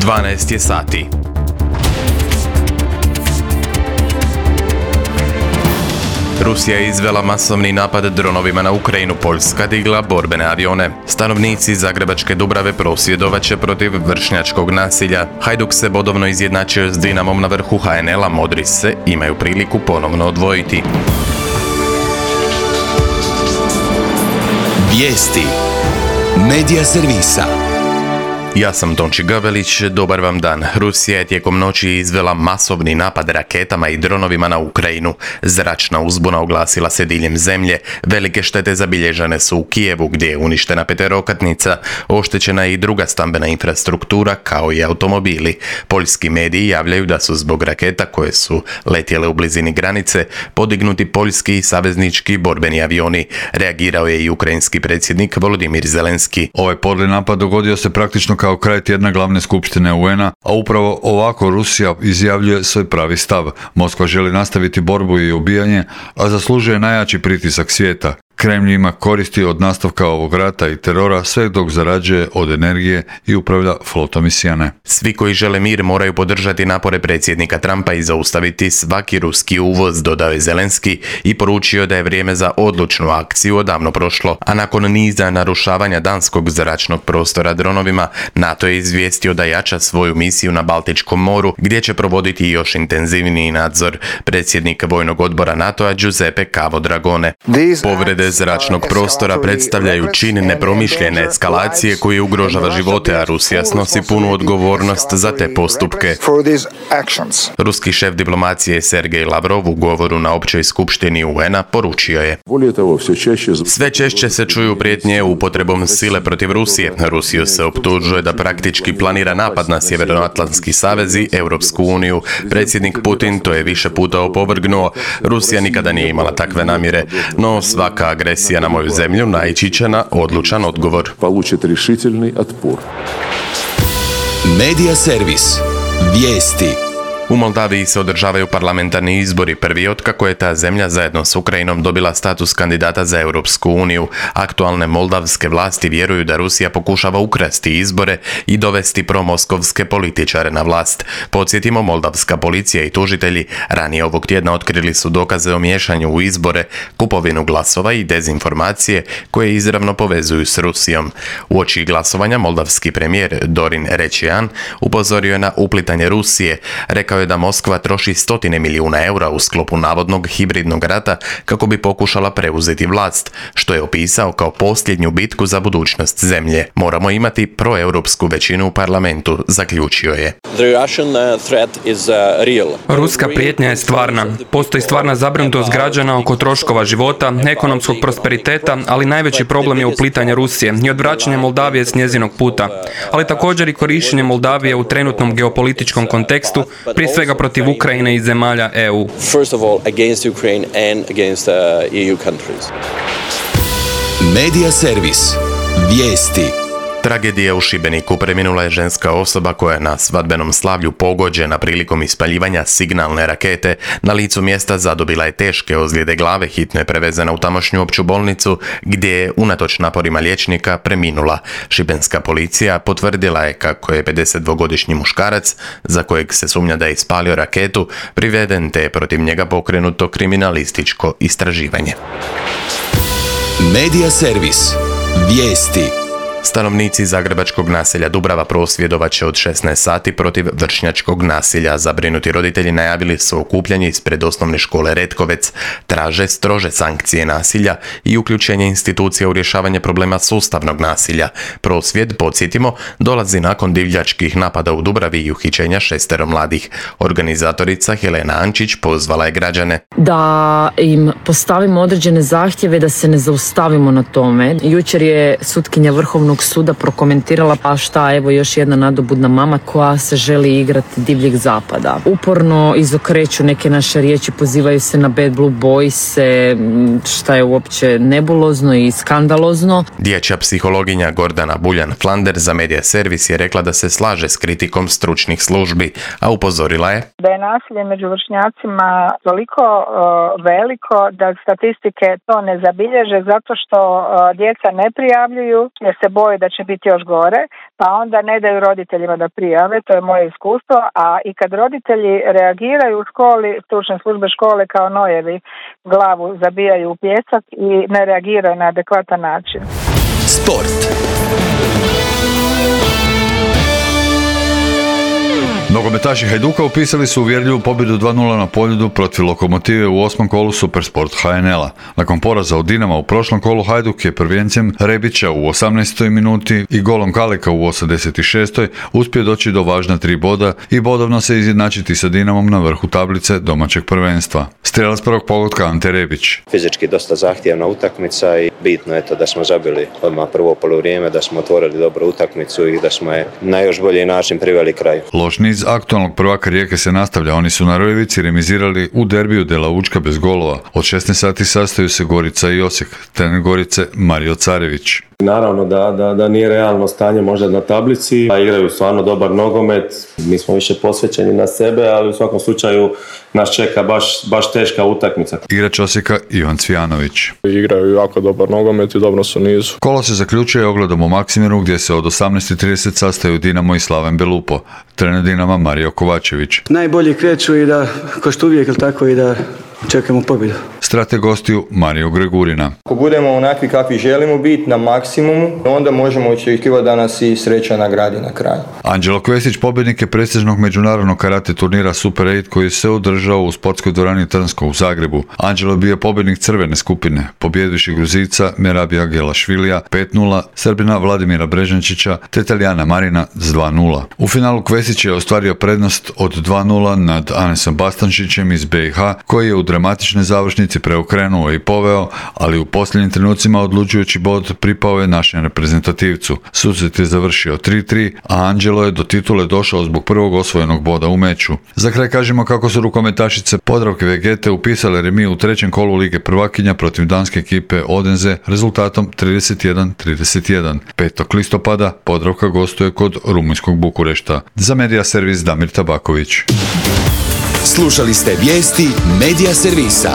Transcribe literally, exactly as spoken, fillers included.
dvanaest je sati. Rusija je izvela masovni napad dronovima na Ukrajinu, Poljska digla borbene avione. Stanovnici Zagrebačke Dubrave prosvjedovat će protiv vršnjačkog nasilja. Hajduk se bodovno izjednačio s Dinamom na vrhu ha en el-a, Modri se imaju priliku ponovno odvojiti. Vijesti Medija servisa. Ja sam Tonči Gavelić, dobar vam dan. Rusija je tijekom noći izvela masovni napad raketama i dronovima na Ukrajinu. Zračna uzbuna oglasila se diljem zemlje. Velike štete zabilježene su u Kijevu, gdje je uništena peterokatnica. Oštećena je i druga stambena infrastruktura, kao i automobili. Poljski mediji javljaju da su zbog raketa koje su letjele u blizini granice podignuti poljski i saveznički borbeni avioni. Reagirao je i ukrajinski predsjednik Volodimir Zelenski. Ovaj podli napad dogodio se praktično kao kraj tjedna glavne skupštine u en a, a upravo ovako Rusija izjavljuje svoj pravi stav. Moskva želi nastaviti borbu i ubijanje, a zaslužuje najjači pritisak svijeta. Kremlj ima koristi od nastavka ovog rata i terora sve dok zarađuje od energije i upravlja flotom Sijane. Svi koji žele mir moraju podržati napore predsjednika Trumpa i zaustaviti svaki ruski uvoz, dodao je Zelenski i poručio da je vrijeme za odlučnu akciju odavno prošlo. A nakon niza narušavanja danskog zračnog prostora dronovima, NATO je izvijestio da jača svoju misiju na Baltičkom moru, gdje će provoditi još intenzivniji nadzor. Predsjednik vojnog odbora NATO-a Giuseppe Cavo Dragone. Povrede zračnog prostora predstavljaju čin nepromišljene eskalacije koji ugrožava živote, a Rusija snosi punu odgovornost za te postupke. Ruski šef diplomacije Sergej Lavrov u govoru na općoj skupštini u en a poručio je: sve češće se čuju prijetnje upotrebom sile protiv Rusije. Rusiju se optužuje da praktički planira napad na Sjevernoatlantski savez i Europsku uniju. Predsjednik Putin to je više puta opovrgnuo. Rusija nikada nije imala takve namjere, no svaka agresija na moju zemlju naići će na odlučan odgovor. Medija servis. Vijesti. U Moldaviji se održavaju parlamentarni izbori, prvi otkako je ta zemlja zajedno s Ukrajinom dobila status kandidata za Europsku uniju. Aktualne moldavske vlasti vjeruju da Rusija pokušava ukrasti izbore i dovesti promoskovske političare na vlast. Podsjetimo, moldavska policija i tužitelji ranije ovog tjedna otkrili su dokaze o miješanju u izbore, kupovinu glasova i dezinformacije koje izravno povezuju s Rusijom. Uoči glasovanja moldavski premijer Dorin Rečian upozorio je na uplitanje Rusije. Rekao je da Moskva troši stotine milijuna eura u sklopu navodnog hibridnog rata kako bi pokušala preuzeti vlast, što je opisao kao posljednju bitku za budućnost zemlje. Moramo imati proeuropsku većinu u parlamentu, zaključio je. Ruska prijetnja je stvarna. Postoji stvarna zabrinutost građana oko troškova života, ekonomskog prosperiteta, ali najveći problem je uplitanje Rusije i odvraćanje Moldavije s njezinog puta, ali također i korištenje Moldavije u trenutnom geopolitičkom kontekstu, prije svega protiv Ukrajine i zemalja e u. Medija servis. Vijesti. Tragedija u Šibeniku. Preminula je ženska osoba koja je na svadbenom slavlju pogođena prilikom ispaljivanja signalne rakete. Na licu mjesta zadobila je teške ozljede glave, hitno je prevezena u tamošnju opću bolnicu gdje je unatoč naporima liječnika preminula. Šibenska policija potvrdila je kako je pedesetdvogodišnji muškarac, za kojeg se sumnja da je ispalio raketu, priveden te je protiv njega pokrenuto kriminalističko istraživanje. Medija servis. Vijesti. Stanovnici zagrebačkog naselja Dubrava prosvjedovat će od šesnaest sati protiv vršnjačkog nasilja. Zabrinuti roditelji najavili su okupljanje ispred osnovne škole Retkovec, traže strože sankcije nasilja i uključenje institucija u rješavanje problema sustavnog nasilja. Prosvjed, podsjetimo, dolazi nakon divljačkih napada u Dubravi i uhićenja šestero mladih. Organizatorica Helena Ančić pozvala je građane da im postavimo određene zahtjeve, da se ne zaustavimo na tome. Jučer je sutkinja Vrhovnog suda prokomentirala, pa šta, evo još jedna nadobudna mama koja se želi igrati divljeg zapada. Uporno izokreću neke naše riječi, pozivaju se na Bad Blue Boys, šta je uopće nebulozno i skandalozno. Dječja psihologinja Gordana Buljan-Flander za Medija servis je rekla da se slaže s kritikom stručnih službi, a upozorila je da je nasilje među vršnjacima toliko uh, veliko da statistike to ne zabilježe zato što uh, djeca ne prijavljuju jer se boje da će biti još gore, pa onda ne daju roditeljima da prijave, to je moje iskustvo, a i kad roditelji reagiraju u školi, stručne službe škole kao nojevi glavu zabijaju u pijesak i ne reagiraju na adekvatan način. Sport. Nogometaši Hajduka upisali su uvjerljivu pobjedu dva nula na Poljudu protiv Lokomotive u osmom kolu Supersport H N L-a. Nakon poraza od Dinama u prošlom kolu, Hajduk je prvijencem Rebića u osamnaestoj minuti i golom Kaleka u osamdeset šestoj uspio doći do važna tri boda i bodovno se izjednačiti sa Dinamom na vrhu tablice domaćeg prvenstva. Strijelac prvog pogotka Ante Rebić. Fizički dosta zahtjevna utakmica i bitno je to da smo zabili odmah prvo poluvrijeme, da smo otvorili dobru utakmicu i da smo je na još bolji način priveli kraju. Loš niz aktualnog prvaka Rijeke se nastavlja. Oni su na Rojevici remizirali u derbiju Dela Učka bez golova. Od šesnaest sati sastaju se Gorica i Osijek. Trener Gorice Mario Carević. Naravno da, da, da nije realno stanje možda na tablici, a igraju stvarno dobar nogomet, mi smo više posvećeni na sebe, ali u svakom slučaju nas čeka baš, baš teška utakmica. Igrač Osijeka Ivan Cvijanović. Igraju jako dobar nogomet i dobro su nizu. Kolo se zaključuje ogledom u Maksimiru gdje se od osamnaest i trideset sastaju Dinamo i Slaven Belupo. Trener Dinama Mario Kovačević. Najbolji kreću i da, ko što uvijek, ili tako, i da čekamo pobjedu. Strateg gostiju Mario Gregurina. Ako budemo onakvi kakvi želimo biti na maksimumu, onda možemo očekivati da nas i sreća nagradi na kraju. Anđelo Kvesić pobjednik je prestižnog međunarodnog karate turnira Super osam koji se održao u sportskoj dvorani Trnsko u Zagrebu. Anđelo je bio pobjednik crvene skupine, pobjedivši Gruzica Merabija Gelašvilija pet nula, Srbina Vladimira Brežančića te Talijana Marina s dva nula. U finalu Kvesić je ostvario prednost od dva nula nad Anesom Bastančićem iz B i H koji je u dramatičnoj završnici preokrenuo i poveo, ali u posljednjim trenucima odlučujući bod pripao je našem reprezentativcu. Susret je završio tri tri, a Anđelo je do titule došao zbog prvog osvojenog boda u meču. Za kraj kažemo kako su rukometašice Podravke Vegete upisale remi u trećem kolu Lige prvakinja protiv danske ekipe Odense rezultatom trideset jedan trideset jedan. petog listopada Podravka gostuje kod rumunjskog Bukurešta. Za Medija servis Damir Tabaković. Slušali ste vijesti Medija servisa.